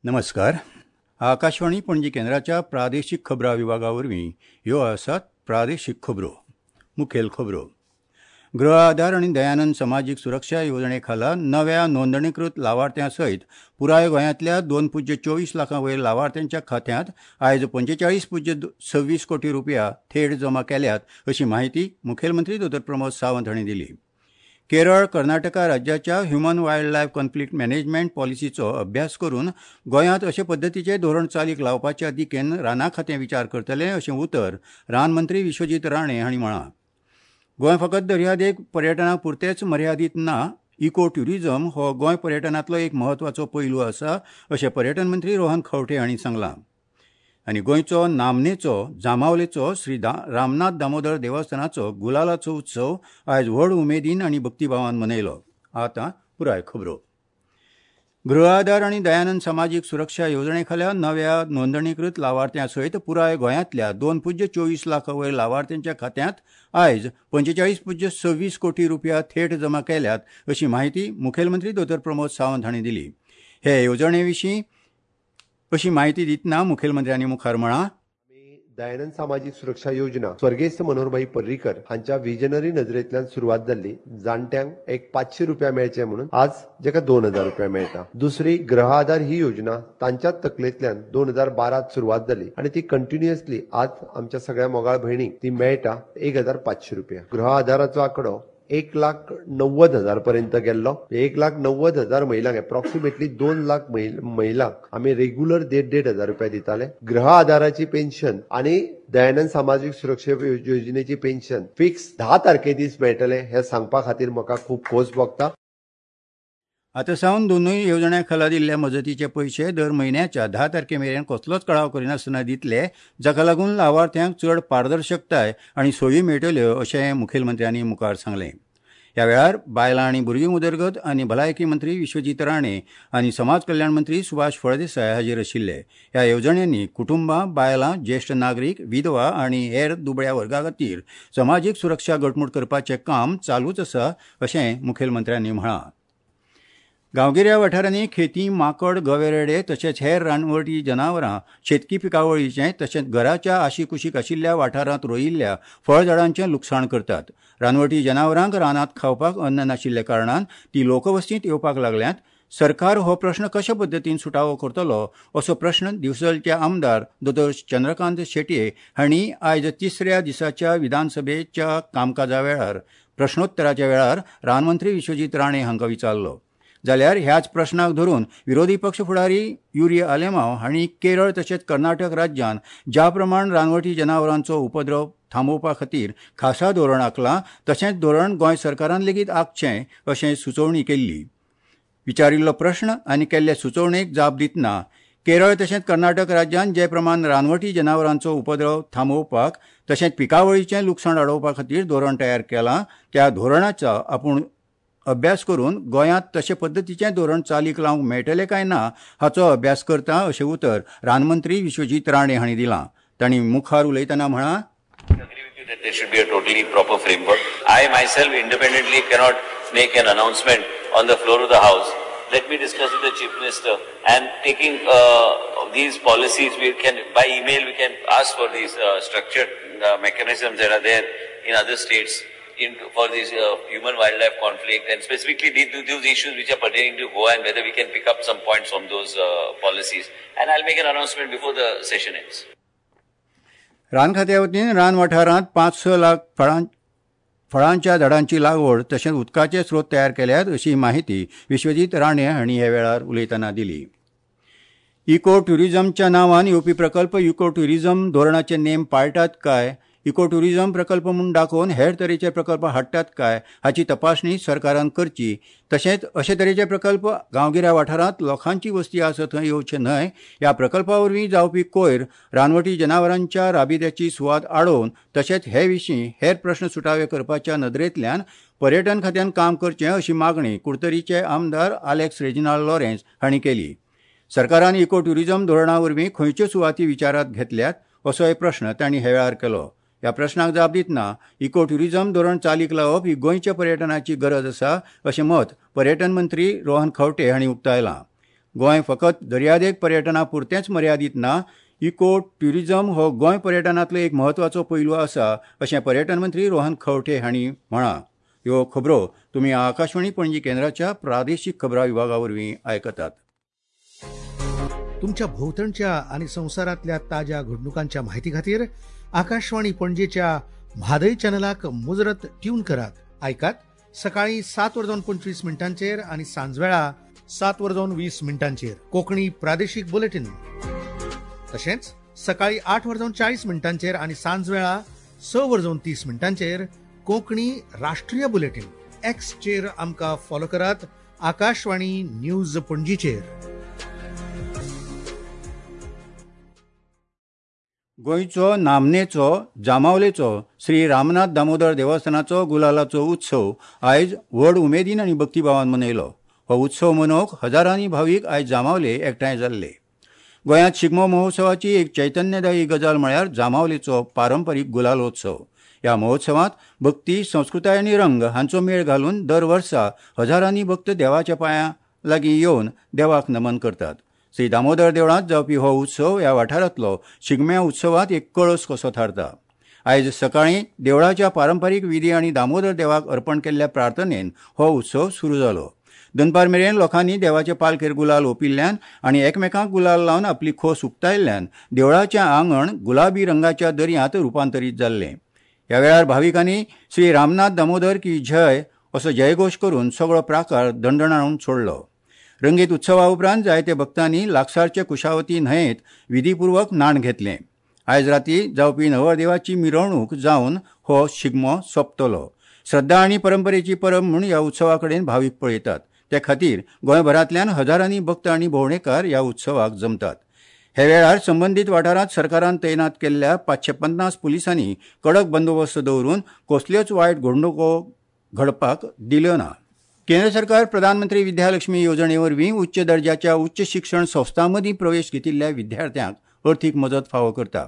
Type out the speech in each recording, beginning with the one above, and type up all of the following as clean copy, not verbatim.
नमस्कार. आकाशवाणी पणजी केंद्राच्या प्रादेशीक खबरां विभागा वरवीं ह्यो आसात प्रादेशीक खबरो. मुखेल खबरो. गृह आधार आनी दयानंद समाजीक सुरक्षा येवजणे खाला नव्या नोंदणीकृत लावार्थ्यां सयत पुराय गोंयांतल्या 2.24 लाखां वयर लावार्थ्यांच्या खात्यांत आयज 45.26 कोटी रुपया थेट जमा केल्यात अशी माहिती मुखेलमंत्री दोतोर प्रमोद सावंत हांणी दिली. केरळ, कर्नाटका राज्याच्या human wild life conflict management पॉलिसीचो अभ्यास करून गोंयांत अशे पद्दतीचें धोरण चालीक लावपाच्या दिकेन रानां खातें विचार करतलें अशें उतर रान मंत्री विश्वजीत राणे हांणी म्हळां. गोंय फकत दर्यादेग पर्यटना पुरतेंच मर्यादीत ना, इको ट्युरिझम हो गोंय पर्यटनांतलो एक म्हत्वाचो पैलू आसा अशें पर्यटन मंत्री रोहन खंवटे हांणी सांगलां. आनी गोंयचो नामनेचो जांबावलेचो श्री रामनाथ दामोदर देवस्थानाचो गुलालाचो उत्सव आयज व्हड उमेदीन आनी भक्तिभावान मनयलो. आतां पुराय खबरो. गृह आधार आनी दयानंद समाजीक सुरक्षा येवजणे खाला नव्या नोंदणीकृत लावार्थ्यां सयत पुराय गोंयांतल्या 2.24 लाखां वयर लावार्थ्यांच्या खात्यांत आयज 45.26 कोटी रुपया थेट जमा केल्यात अशी माहिती मुखेलमंत्री दोतोर प्रमोद सावंत हांणी दिली. हे येवजणे विशीं अशी माहिती दितना मुखेलमंत्र्यांनी मुखार म्हळां, दयानंद सामाजीक सुरक्षा योजना स्वर्गेस्त मनोहरभाई पर्रीकर हांच्या विजनरी नजरेंतल्यान सुरवात जाल्ली. जाणट्यांक एक 500 रुपया मेळचे म्हणून आज जेका 2000 रुपया मेळटा. दुसरी गृह आधार ही योजना तांच्याच तकलेंतल्यान 2012 सुरवात जाली आनी ती कंटिन्युअसली आज आमच्या सगळ्या मोगाळ भयणीक ती मेळटा 1500 रुपया. गृह आधाराचो आंकडो 1,90,000 पर्यंत गेल्लो. 1,90,000 महिलांक एप्रॉक्सिमेटली 2 लाख महिलांक आमी रेग्युलर 1,500-1,500 रुपया दिताले. गृह आधाराची पेन्शन आनी दयानंद सामाजीक सुरक्षा योजनेची पेन्शन फिक्स 10 तारखे दीस मेळटले हे सांगपा खातीर म्हाका खूब खोस भोगता. आतां सावन दोनूय येवजण्यां खाला दिल्ल्या मजतीचे पयशे दर म्हयन्याच्या 10 तारखे मेरेन कसलोच कळाव करिनासतना दितले, जाका लागून लावार्थ्यांक चड पारदर्शकताय आनी सोयी मेळटल्यो अशें मुखेलमंत्र्यांनी मुखार सांगलें. ह्या वेळार बायलां आनी भुरगीं उदरगत आनी भलायकी मंत्री विश्वजीत राणे आनी समाज कल्याण मंत्री सुभाष फळदेसाय हाजीर आशिल्ले. ह्या येवजण्यांनी कुटुंबां, बायलां, ज्येश्ठ नागरीक, विधवा आनी हेर दुबळ्या वर्गा खातीर समाजीक सुरक्षा घटमूट करपाचें काम चालूच आसा अशें मुखेलमंत्र्यांनी म्हळां. गांवगिऱ्या वाठारांनी खेती, माकड, गवे रेडे तशेंच हेर रानवटी जनावरां शेतकी पिकावळीचें तशेंच घराच्या आशीकुशीक आशिल्ल्या वाठारांत रोयिल्ल्या फळझाडांचें लुकसाण करतात. रानवटी जनावरांक रानांत खावपाक अन्न नाशिल्ल्या कारणान ती लोकवस्तींत येवपाक लागल्यांत. सरकार हो प्रश्न कशे पद्दतीन सुटावो करतलो असो प्रश्न दिवचलचे आमदार दोतोर चंद्रकांत शेटये हांणी आयज तिसऱ्या दिसाच्या विधानसभेच्या कामकाजा वेळार प्रश्नोत्तराच्या वेळार रानमंत्री विश्वजीत राणे हांकां विचारलो. जाल्यार ह्याच प्रश्नाक धरून विरोधी पक्ष फुडारी युरी आलेमाव हांणी केरळ तशेंच कर्नाटक राज्यान ज्या प्रमाण रानवटी जनावरांचो उपद्रव थांबोवपा खातीर खासा धोरण आंखलां तशेंच धोरण गोंय सरकारान लेगीत आंखचें अशें सुचोवणी केल्ली. विचारिल्लो प्रश्न आनी केल्ले सुचोवणेक जाप दितना केरळ तशेंच कर्नाटक राज्यान जे प्रमाण रानवटी जनावरांचो उपद्रव थांबोवपाक तशेंच पिकावळीचें लुकसाण आडोवपा खातीर धोरण तयार केलां त्या धोरणाचो आपूण अभ्यास करून गोंयांत तशे पद्दतीचें धोरण चालीक लावंक मेळटलें काय ना हाचो अभ्यास करता अशें उतर रानमंत्री विश्वजीत राणे हांणी दिलां. तांणी मुखार उलयतना म्हळां, There should be a totally proper framework. I myself independently cannot make an announcement on the floor of the house. Let me discuss with the Chief Minister and taking these policies, we can by email we can ask for these structured mechanisms that are there in other states for this human wildlife conflict and specifically these issues which are pertaining to Goa and whether we can pick up some points from those policies. And I'll make an announcement before the session ends. रान खात्या वतीन रान वाठारांत 5-6 लाख फळांच्या झाडांची लागवड तशेंच उदकाचे स्रोत तयार केल्यात अशी माहिती विश्वजीत राणे हांणी ह्या वेळार उलयतना दिली. इको ट्युरिझमच्या नांवान येवपी प्रकल्प इको ट्युरिझम धोरणाचे नेम पाळटात काय, इको ट्युरिझम प्रकल्प म्हूण दाखोवन हेर तरेचे प्रकल्प हाडटात काय हाची तपासणी सरकारान करची. तशेंच अशे तरेचे प्रकल्प गांवगिऱ्या वाठारांत लोकांची वस्ती आसा थंय येवचे न्हय. ह्या प्रकल्पा वरवीं जावपी कोयर रानवटी जनावरांच्या राबित्याची सुवात आडोवन तशेंच हे विशीं हेर प्रश्न सुटावे करपाच्या नदरेंतल्यान पर्यटन खात्यान काम करचें अशी मागणी कुडतरीचे आमदार आलेक्स रेजिनाल्ड लॉरेन्स हांणी केली. सरकारान इको ट्युरिझम धोरणा वरवीं खंयच्यो सुवाती विचारांत घेतल्यात असोय प्रश्न तांणी हे वेळार केलो. ह्या प्रश्नाक जाप दितना इको ट्युरिझम धोरण चालीक लावप ही गोंयच्या पर्यटनाची गरज आसा अशें मत पर्यटन मंत्री रोहन खंवटे हांणी उक्तायलां. गोंय फकत दर्यादेग पर्यटना पुरतेंच मर्यादीत ना, इको ट्युरिझम हो गोंय पर्यटनांतलो एक म्हत्वाचो पैलू आसा अशें पर्यटन मंत्री रोहन खंवटे हांणी म्हळां. ह्यो खबरो तुमी आकाशवाणी पणजी केंद्राच्या प्रादेशीक खबरां विभागा वरवीं आयकतात. तुमच्या भोंवतणच्या आनी संवसारांतल्या ताज्या घडणुकांच्या माहिती खातीर आकाशवाणी पणजेच्या म्हादय चॅनलाक मुजरत ट्यून करात. आयकात सकाळी 7:25 आनी सांजवेळा 7:20 कोंकणी प्रादेशीक बुलेटीन. तशेंच सकाळी 8:40 आनी सांजवेळा 6:30 कोंकणी राष्ट्रीय बुलेटीन. एक्सचेर आमकां फॉलो करात आकाशवाणी न्यूज पणजीचेर. गोंयचो नामनेचो जांबावलेचो श्री रामनाथ दामोदर देवस्थानाचो गुलालाचो उत्सव आयज व्हड उमेदीन आनी भक्तिभावान मनयलो. हो उत्सव मनोवंक हजारांनी भावीक आयज जांबावले एकठांय जाल्ले. गोंयांत शिगमो महोत्सवाची एक चैतन्यदायी गजाल म्हळ्यार जांबावलेचो पारंपारीक गुलालोत्सव. ह्या महोत्सवांत भक्ती, संस्कृताय आनी रंग हांचो मेळ घालून दर वर्सा हजारांनी भक्त देवाच्या पांयां लागीं येवन देवाक नमन करतात. श्री दामोदर देवळांत जावपी हो उत्सव ह्या वाठारांतलो शिगम्या उत्सवांत एक कळस कसो थारता. आयज सकाळीं देवळाच्या पारंपारीक विधी आनी दामोदर देवाक अर्पण केल्ल्या प्रार्थनेन हो उत्सव सुरू जालो. दनपार मेरेन लोकांनी देवाचे पालखेर गुलाल ओंपिल्ल्यान आनी एकमेकांक गुलाल लावन आपली खोस उक्तायल्ल्यान देवळाचें आंगण गुलाबी रंगाच्या दर्यांत रुपांतरीत जाल्लें. ह्या वेळार भाविकांनी श्री रामनाथ दामोदर की जय असो जयघोश करून सगळो प्राकार दणदणावन सोडलो. रंगीत उत्सवा उपरांत जायते भक्तांनी लागसारचे कुशावती न्हंयेंत विधीपूर्वक न्हाण घेतलें. आयज राती जावपी नवरदेवाची मिरवणूक जावन हो शिगमो सोंपतलो. श्रद्धा आनी परंपरेची परब म्हूण ह्या उत्सवा कडेन भावीक पळयतात. ते खातीर गोंयभरांतल्यान हजारांनी भक्त आनी भोंवडेकार ह्या उत्सवाक जमतात. हे वेळार संबंदीत वाठारांत सरकारान तैनात केल्ल्या 550 पुलिसांनी कडक बंदोबस्त दवरून कसल्योच वायट घडणुको घडपाक दिल्यो ना. केंद्र सरकार प्रधानमंत्री विद्यालक्ष्मी येवजणे वरवीं उच्च दर्जाच्या उच्च शिक्षण संस्थां मदीं प्रवेश घेतिल्ल्या विद्यार्थ्यांक अर्थीक मजत फावो करता.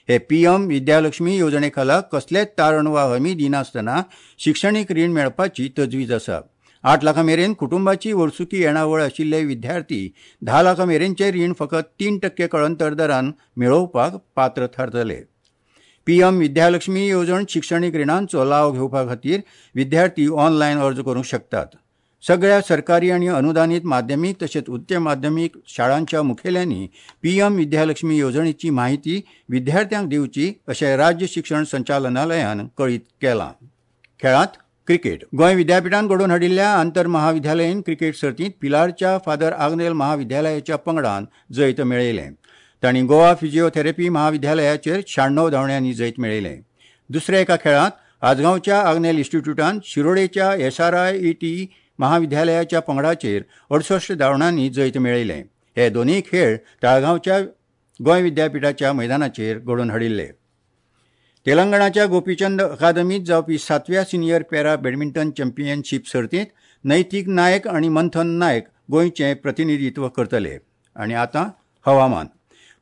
हे पीएम विद्यालक्ष्मी येवजणे खाला कसलेच तारण वा हमी दिनासतना शिक्षणीक रीण मेळपाची तजवीज आसा. 8 लाखां मेरेन कुटुंबाची वर्सुकी येणावळ आशिल्ले विद्यार्थी 10 लाखां मेरेनचें रीण फकत 3% कळंतर दरान मेळोवपाक पात्र थारतले. पीएम विद्यालक्ष्मी येवजण शिक्षणीक रिणांचो लाव घेवपा खातीर विद्यार्थी ऑनलायन अर्ज करूंक शकतात. सगळ्या सरकारी आनी अनुदानीत माध्यमीक तशेंच उच्च माध्यमीक शाळांच्या मुखेल्यांनी पीएम विद्यालक्ष्मी येवजणेची माहिती विद्यार्थ्यांक दिवची अशें राज्य शिक्षण संचालनालयान कळीत केलां. खेळांत क्रिकेट. गोंय विद्यापिठान घडोवन हाडिल्ल्या आंतर महाविद्यालयीन क्रिकेट सर्तींत पिलारच्या फादर आग्नेल महाविद्यालयाच्या पंगडान जैत मेळयलें. तांणी गोवा फिजिओथेरपी महाविद्यालयाचेर 96 धांवड्यांनी जैत मेळयलें. दुसऱ्या एका खेळांत आजगांवच्या आग्नेल इन्स्टिट्यूटान शिरोडेच्या SRIET महाविद्यालयाच्या पंगडाचेर 68 धांवड्यांनी जैत मेळयलें. हे दोनूय खेळ ताळगांवच्या गोंय विद्यापिठाच्या मैदानाचेर घडोवन हाडिल्ले. तेलंगणाच्या गोपीचंद अकादमीत जावपी 7व्या सिनियर पॅरा बॅडमिंटन चॅम्पियनशीप सर्तींत नैतीक नायक आनी मंथन नायक गोंयचें प्रतिनिधित्व करतले. आनी आतां हवामान.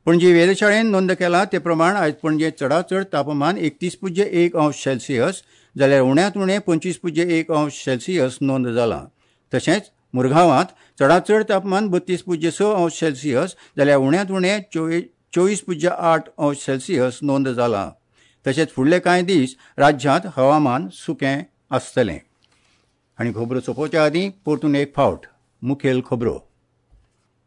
पणजी वेधशाळेन नोंद केला ते प्रमाण आयज पणजे चडांत चड तापमान 31.1 अंश सेल्सियस जाल्यार उण्यांत उणें 25.1 अंश सेल्सियस नोंद जालां. तशेंच मुरगांवांत चडांत चड तापमान 32.6 अंश सेल्सियस जाल्यार उण्यांत उणें 24.8 अंश सेल्सियस नोंद जालां. तशेंच फुडले कांय दीस राज्यांत हवामान सुकें आसतलें. आनी खबरो सोंपोवच्या आदीं परतून एक फावट मुखेल खबरो.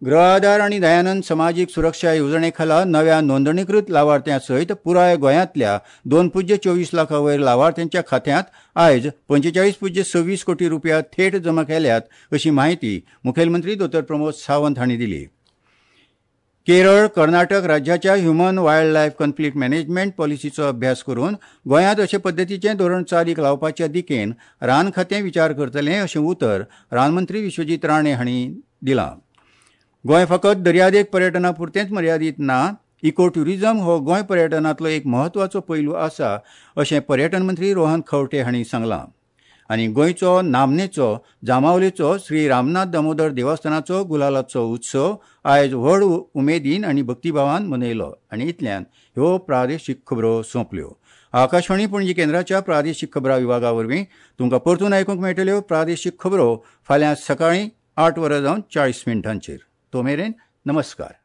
गृह आधार आनी दयानंद समाजीक सुरक्षा येवजणे खाला नव्या नोंदणीकृत लावार्थ्यां सयत पुराय गोंयांतल्या 2.24 लाखां वयर लावार्थ्यांच्या खात्यांत आयज 45.26 कोटी रुपया थेट जमा केल्यात अशी माहिती मुखेलमंत्री दोतोर प्रमोद सावंत हांणी दिली. केरळ, कर्नाटक राज्याच्या human wild life conflict management पॉलिसीचो अभ्यास करून गोंयांत अशे पद्दतीचें धोरण चालीक लावपाच्या दिकेन रान खातें विचार करतलें अशें उतर रानमंत्री विश्वजीत राणे हांणी दिलां. गोंय फकत दर्यादेग पर्यटना पुरतेंच मर्यादीत ना, इको ट्युरिझम हो गोंय पर्यटनांतलो एक म्हत्वाचो पैलू आसा अशें पर्यटन मंत्री रोहन खंवटे हांणी सांगलां. आनी गोंयचो नामनेचो जांबावलेचो श्री रामनाथ दामोदर देवस्थानाचो गुलालाचो उत्सव आयज व्हड उमेदीन आनी भक्तिभावान मनयलो. आनी इतल्यान ह्यो प्रादेशीक खबरो सोंपल्यो. आकाशवाणी पणजी केंद्राच्या प्रादेशीक खबरां विभागा वरवीं तुमकां परतून आयकूंक मेळटल्यो प्रादेशीक खबरो फाल्यां सकाळीं 8:40. तो मेरेन नमस्कार.